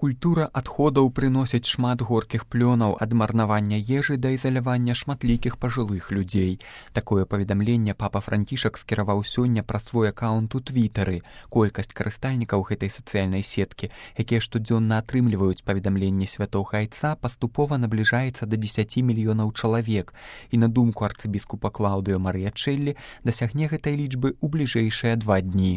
Культура адходаў прыносіць шмат горкіх плёнаў ад марнавання ежы да ізалявання шматлікіх пажылых людзей. Такое паведамленне папа Францішак скіраваў сёння праз свой акаунт у Твітары. Колькасць карыстальнікаў гэтай сацыяльнай сеткі, якія штодзённа атрымліваюць паведамленні святога айца, паступова набліжаецца да 10 мільёнаў чалавек. І на думку арцыбіскупа Клаўдыо Марыячэллі, дасягне гэтай лічбы ў бліжэйшыя 2 дні.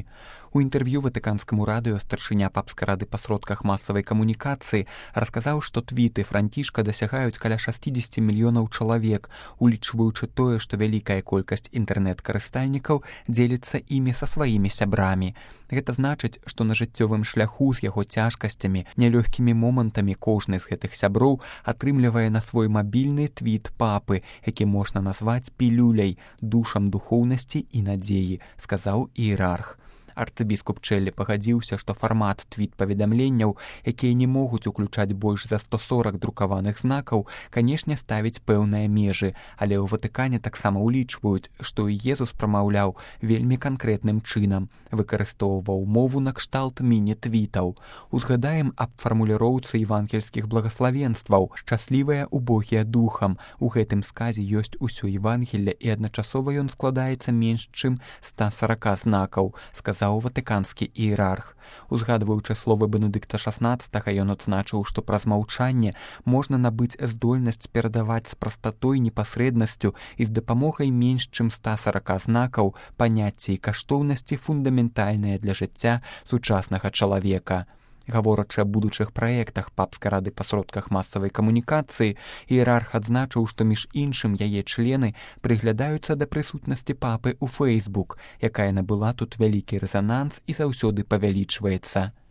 У інтэрв'ю ватыканскаму радыё старшыня папскай рады па сродках масавай камунікацыі расказаў, што твіты Францішка дасягаюць каля 60 мільёнаў чалавек, улічваючы тое, што вялікая колькасць інтэрнэт-карыстальнікаў дзеліцца імі са сваімі сябрамі. Гэта значыць, што на жыццёвым шляху з яго цяжкасцямі, нялёгкімі момантамі кожны з гэтых сяброў атрымлівае на свой мабільны твіт папы, які можна назваць пілюляй, душам духоўнасці і надзеі, сказаў іерарх. Арцыбіскуп Чэллі пагадзіўся, што фармат твіт-паведамленняў, якія не могуць уключаць больш за 140 друкаваных знакаў, канешне, ставіць пэўныя межы, але ў Ватыкане таксама ўлічваюць, што Езус прамаўляў вельмі канкрэтным чынам, выкарыстоўваў мову накшталт міні-твітаў. Узгадаем аб фармуліроўцы евангельскіх благаславенстваў «Шчаслівыя убогія духам». У гэтым сказе ёсць усё Евангелле, і адначасова ён складаецца менш чым 140 знакаў, сказаў ватыканскі іерарх. Узгадваючы словы Бенедыкта XVI, ён адзначыў, што праз маўчанне можна набыць здольнасць перадаваць з прастатой, непасрэднасцю і з дапамогай менш чым 140 знакаў паняцці і каштоўнасці фундаментальныя для жыцця сучаснага чалавека. Гаворачы аб будучых праектах папскай рады па сродках масавай камунікацыі, іерарх адзначыў, што між іншым яе члены прыглядаюцца да прысутнасці папы ў Facebook, якая набыла тут вялікі рэзананс і заўсёды павялічваецца.